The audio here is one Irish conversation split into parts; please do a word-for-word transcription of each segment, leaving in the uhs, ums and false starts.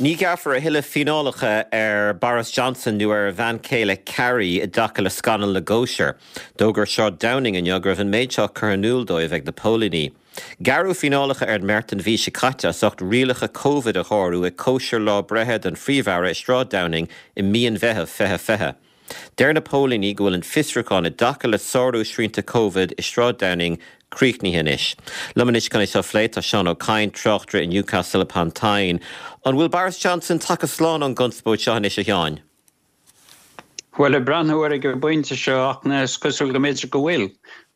Ní ghearrfar a thuilleadh fíneálacha ar Boris Johnson nó ar a bhean chéile Carrie i dtaca le scannal na gcóisir. D'fhógair Sráid Downing inniu go raibh an méid seo curtha in iúl dóibh ag na póilíní. Gearradh fíneálacha ar an mbeirt an mhí seo caite as ucht rialacha COVID a shárú ag cóisir lá breithe don Phríomh-Aire i Sráid Downing i mí an Mheithimh fiche fiche. Deir na póilíní go bhfuil an fiosrúchán i dtaca le sárú srianta COVID i Sráid Downing críochnaithe anois. Liom anois chun é seo a phlé tá Seán Ó Cadhain, tráchtaire i Newcastle upon Tyne. An bhfuil Boris Johnson tagtha slán ón gconspóid seo anois a Sheáin? Well ag breathnú air ag an bpointe seo ach is cosúil go mb'fhéidir go bhfuil,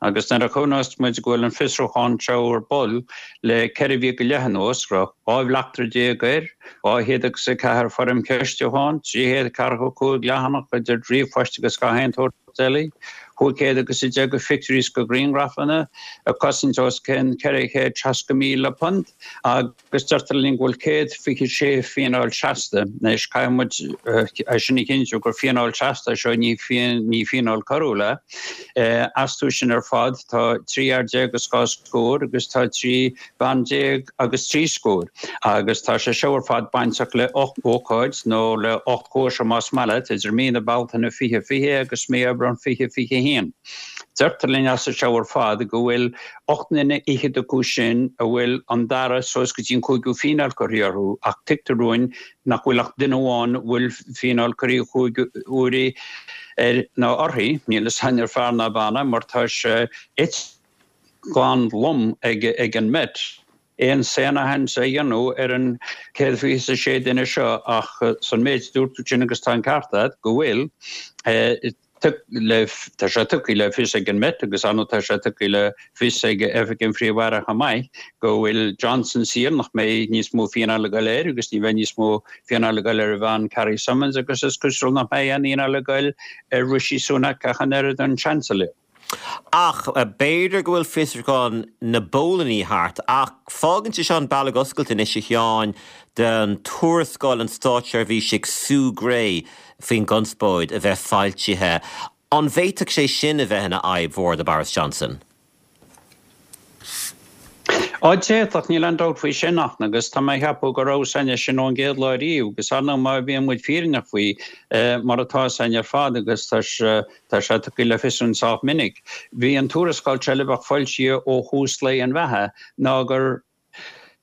agus nuair a chuimhneos muid go bhfuil an fiosrúchán seo ar bun le ceithre mhí go leith anuas, raibh dhá bhleachtaire déag air, dhá chéad agus a ceathair foirm cheistiúcháin, trí chéad ceathracha cúig leathanach idir ríomhphoist agus gach aon tsórt eile, cúig chéad agus a deich de phictiúirí is de ghrianghrafanna, ag cosaint os cionn ceithre chéad seasca míle punt, agus deirtear linn go bhfuil céad fiche sé fíneáil seasta. Anois caithfidh muid é sin a chinntiú gur fíneáil seasta é seo, ní ní fíneáil coiriúil é. Astu sin ar fad tá trí fhear déag agus dhá scór agus tá trí bhean déag agus trí scór. Agus tá sé seo ar fad bainteach le ocht ócáid nó le ocht cóisir más maith leat idir mí na Bealtaine fiche fiche agus mí Aibreán fiche fiche haon. Deirtear linn as seo ar fad go bhfuil ocht nduine fhichead acu sin a bhfuil an dara suas go dtí an cúigiú fíneáil curtha orthu ach tuigtear dúinn nach bhfuil ach duine amháin a bhfuil fíneáil curtha cúig huaire air nó uirthi, níl a fhios againn ar fear ná bean é mar tá sé ite glan lom ag ag an Met. Aon sainaithint a dhéanamh ar an céad fiche a sé duine seo ach san méid a dúirt tú sin agus tá an ceart agat go bhfuil Tá sé tugtha le fios ag an Met agus ar ndóigh tá sé tugtha le fios ag Oifig an Phríomh-Aire chomh maith go bhfuil Johnson saor nach mbeidh níos mó fíneáil ag dul air agus ní bheidh níos mó fíneáil ag dul ar a bhean Carrie Symonds agus is cosúil nach mbeidh aon fhíneáil ag dul ar Rishi Sunak ach an oiread an Chancellor. Ach b'fhéidir go bhfuil fiosrúchán na bpóilíní thart, ach fágann sé seo an bealach oscailte anois a Sheáin don tuarascáil an státseirbhísigh Sue Gray faoin gconspóid a bheith foilsithe. An bhféadfadh sé sin a bheith ina fhadhb mhór do Boris Johnson? Á d'fhéadfadh, níl aon dabht faoi sin ach agus tá mé ag ceapadh go raibh a fhios againn é sin ón gcéad lá riamh agus ar ndóigh má bhíonn muid fírinneach faoi mar atá a fhios againn ar fad agus tá sé tugtha le fios againn sách minic. Bhí an tuarascáil seo le bheith foilsithe ó thús lae an bheatha ná gur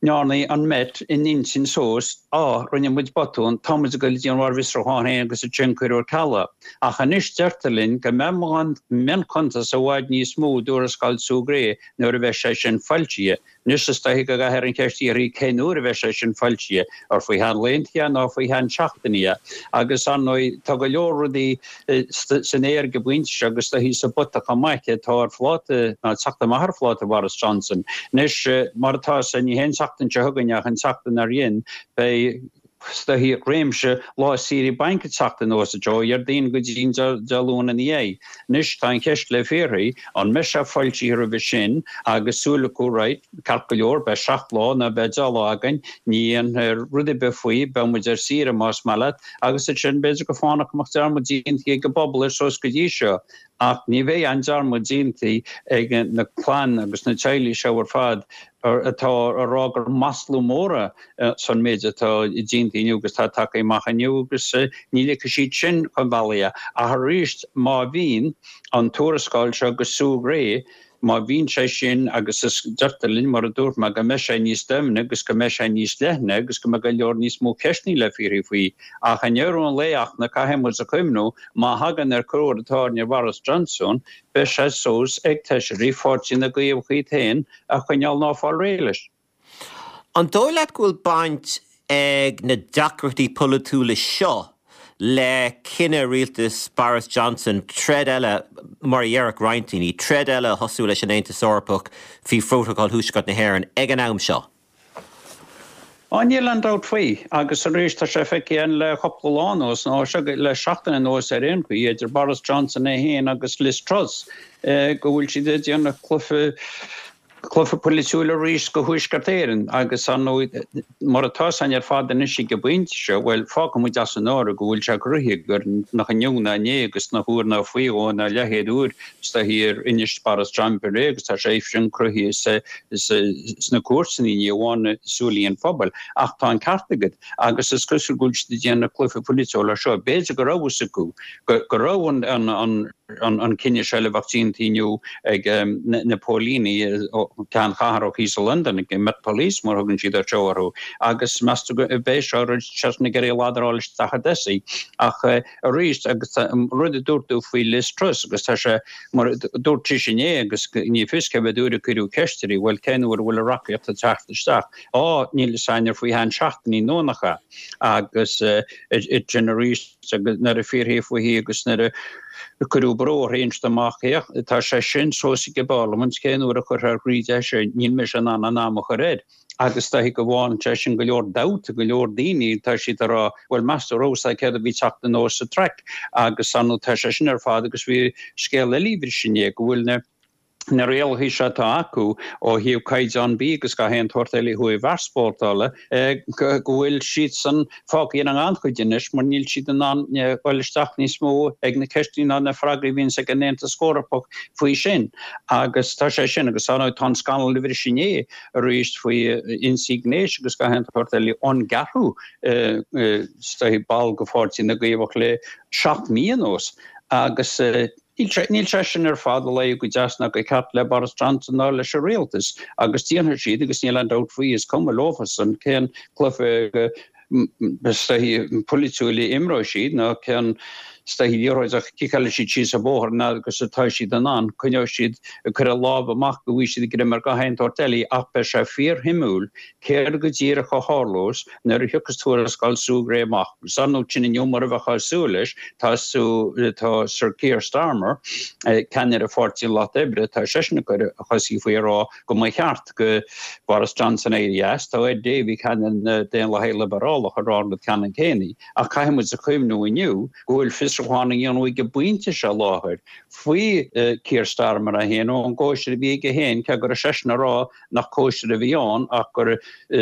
ndearna an Met a n-intinn suas, á, rinne muid botún, tá muid ag dul go dtí an Bharr-Fhiosrúchán féin agus ansin cuireadh ar ceal é. Ach anois deirtear linn go mbeidh mionchuntas i bhfad níos mó i dtuarascáil Sue Gray nuair a bheidh sé sin foilsithe. Anois is dóiche go gcaithfear an cheist a fhiafraí cén uair a bheidh sé sin foilsithe, ar faoi cheann laethanta nó faoi cheann seachtainí. Agus ar ndóigh tá go leor rudaí san aer ag an bpointe seo agus is dóichí sa bpota chomh maith atá ar phláta, nó ag teacht amach ar phláta Boris Johnson. Anois mar atá a fhios againn ní hé an tseachtain seo chugainn ach an tseachtain dár gcionn beidh is dóichí réimse lá saoire bainc ag teacht anuas ó Dhéardaoin go dtí an Dé Luain ina dhiaidh. Anois tá an cheist le fiafraí, an mbeidh sé foilsithe roimhe sin agus súil acu right, ceart go leor, beidh seacht lá nó beidh deich lá againn, ní dhéanfar rud ar bith faoi, beidh muid ar saoire más maith leat, agus ansin b'fhéidir go fánach go mbeadh dearmad déanta ag an bpobal air suas go dtí seo. Ach ní bheidh aon dearmad déanta ag na clann agus na teaghlaigh seo ar fad atá a rá gur maslú mór é san méid atá déanta inniu agus atá tagtha amach inniu agus ní ligfidh siad sin chun bealaigh é. Ach arís má bhíonn an tuarascáil seo go Sue Gray, má bhíonn sé sin agus is deirtear linn, mar a dúirt mé, go mbeidh sé níos doimhne agus go mbeidh sé níos leithne agus go mbeidh go leor níos mó ceisteanna le fiafraí faoi. Ach i ndeireadh an lae ach na caithfidh muid a chuimhniú, má thagann ar corruair an t-ádh ar Boris Johnson, beidh sé suas ag feisirí Pháirtí na gCaomhach iad féin a choinneáil ná fáil réidh leis. An dóigh leat go bhfuil baint ag na deacrachtaí polaitiúla seo le cinneadh rialtas Boris Johnson troid eile, mar a déarfadh roinnt daoine, troid eile a thosú leis an Aontas Eorpach faoi Phrótacal Thuaisceart na hÉireann ag an am seo? Á, níl aon dabht faoi. Agus arís, tá sé feicthe againn le cúpla lá anuas, nó le seachtain anuas ar aon chaoi, idir Boris Johnson é féin agus Liz Truss, go bhfuil siad ag déanamh cluiche, Cluiche polaitiúil arís go Thuaisceart Éireann agus ar ndóigh mar atá sé ar fad anois ag an bpointe seo, bhuel fágfaidh muid as an áireamh go bhfuil sé cruthaithe gur nach inniu ná inné agus nach uair ná faoi dhó ná leathchéad uair is dóichí ar inis Boris Johnson é agus tá sé sin cruthaithe sna cúirteanna ní amháin i súile an phobail. Ach tá an ceart agat agus is cosúil go bhfuil siad ag déanamh cluiche polaitiúil as seo. B'fhéidir go raibh a fhios acu go raibh an an cinneadh seo le bheith déanta inniu ag na póilíní ceannchathrach thíos i Londain ag Met Police mar thugann siad ar seo orthu agus meas tú go b'é seo rud seisean ag iarraidh ladráil isteach a Dessie ach arís agus rud a dúirt tú faoi Liz Truss agus tá sé mar dúirt sí sin é agus ní fios cé mhéad uair a cuireadh ceist uirthi bhuel cén uair a bhfuil a reachtaíocht ag teacht isteach á níl a fhios againn ar faoi cheann seachtainí nó nach ea agus sin arís agus nuair a fiafraíodh fúithi agus nuair a cuireadh brú uirthi inste amach féach tá sé sin suas ag an bParlaimint cén uair a chuirfear thríd é sin níl mise in ann an am a chur air agus tá go bhfágann sé sin go leor dabht go leor daoine tá siad ag rá bhuel meas tú raibh a fhios acu céard a bhí teacht anuas sa traic agus ar ndóigh tá sé sin ar fad agus bhí scéal eile bhí sin é go bhfuil na na rialacha seo atá acu ó thaobh caighdeán bídh agus gach aon tsórt eile ó thaobh easpórtála, go bhfuil siadsan fágtha ina ngannchuid anois mar níl siad in ann dul isteach níos mó ag na ceisteanna ná na freagraí a bhíonns ag an Aontas Eorpach faoi sin. Agus tá sé sin, agus ar ndóigh tá an scannal a bhris inné arís faoi ionsaí gnéis agus gach aon tsórt eile ón gceathrú ball de Pháirtí na gCaomhach le seacht mí anuas agus Níl sé sin ar fad ag luí go deas ná go ceart le Boris Johnson ná leis an rialtas agus déanfaidh siad agus níl aon dabht faoi, is cuma leofasan cén cluiche polaitiúil a imreoidh siad ná cén liathróid a chiceálfaidh siad síos an bóthar an fhad agus atá siad in ann. Coinneoidh siad ag cur a lámh amach go bhfaighidh siad greim ar gach aon tsórt eile ach beidh sé fíorshuimiúil céard go díreach a tharlós nuair a thiocfas tuarascáil Sue Gray amach. Agus ar ndóigh sin inniu mar a bheifeá ag súil leis, tá tá Sir Keir Starmer, ceannaire Pháirtí an Lucht Oibre, tá seisean ag cur a chosaí faoi ag rá go mba cheart go Boris Johnson éirí as. Tá Ed Davey, ceannaire na Daonlathaithe Liobrálach ag rá an rud ceannann céanna. Ach caithfidh muid a chuimhniú inniu go bhfuil fiosrúchán á dhéanamh ag an bpointe seo láthair faoi Keir Starmer é féin ón gcóisir a bhí aige féin, cé go raibh seisean ag rá nach cóisir a bhí ann ach gur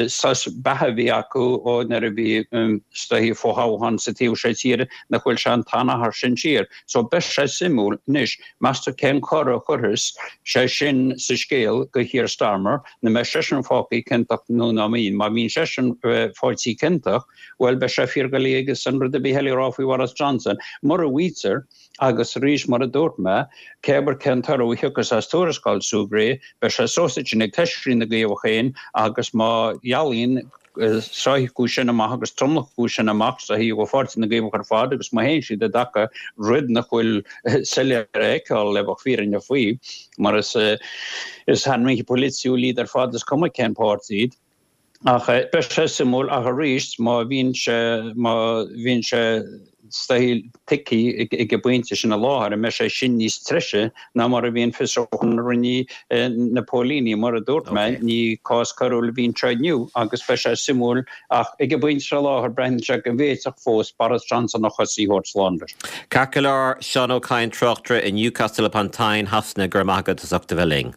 sos beatha a bhí acu ó nuair a bhí is dóichí fothoghchán sa taobh seo tíre nach bhfuil sé an t-achar sin siar. So beidh sé suimiúil anois, meas tú cén cor a chuirfeas sé sin sa scéal go Keir Starmer, an mbeidh seisean fágtha ciontach nó ná mbíonn. Má bhíonn seisean faighte ciontach, bhuel beidh sé fíordhoiligh aigesan rud ar bith eile a rá faoi Bhoris Johnson. Mura bhfaightear, Agus arís, mar a dúirt mé, cé air cén toradh a thiocfas as tuarascáil Sue Gray, beidh sé suas ansin ag feisirí na gCaomhach féin agus má dhealaíonn sraith acu sin amach agus tromlach acu sin amach sa thaobh ó Pháirtí na gCaomhach ar fad agus má théann siad i dtaca rud nach bhfuil soiléir a fheiceáil le bheith fírinneach faoi mar is is ainmhithe polaitiúil iad ar fad is cuma cén páirtí iad. Ach beidh sé suimiúil ach arís má bhíonn sé má bhíonn sé tuigthe ag an bpointe sin i láthair, an mbeidh sé sin níos treise ná mar a bhí an fiosrúchán a rinne na póilíní. Mar a dúirt mé, ní cás coiriúil a bhí anseo inniu agus beidh sé suimiúil ach ag an bpointe seo i láthair breathnaíonn sé go bhféadfadh fós Boris Johnson a chosaí a thabhairt slán leis. Ceart go leor, Seán Ó Cadhain, tráchtaire i Newcastle upon Tyne, Shasana, go raibh maith agat as ucht a bheith linn.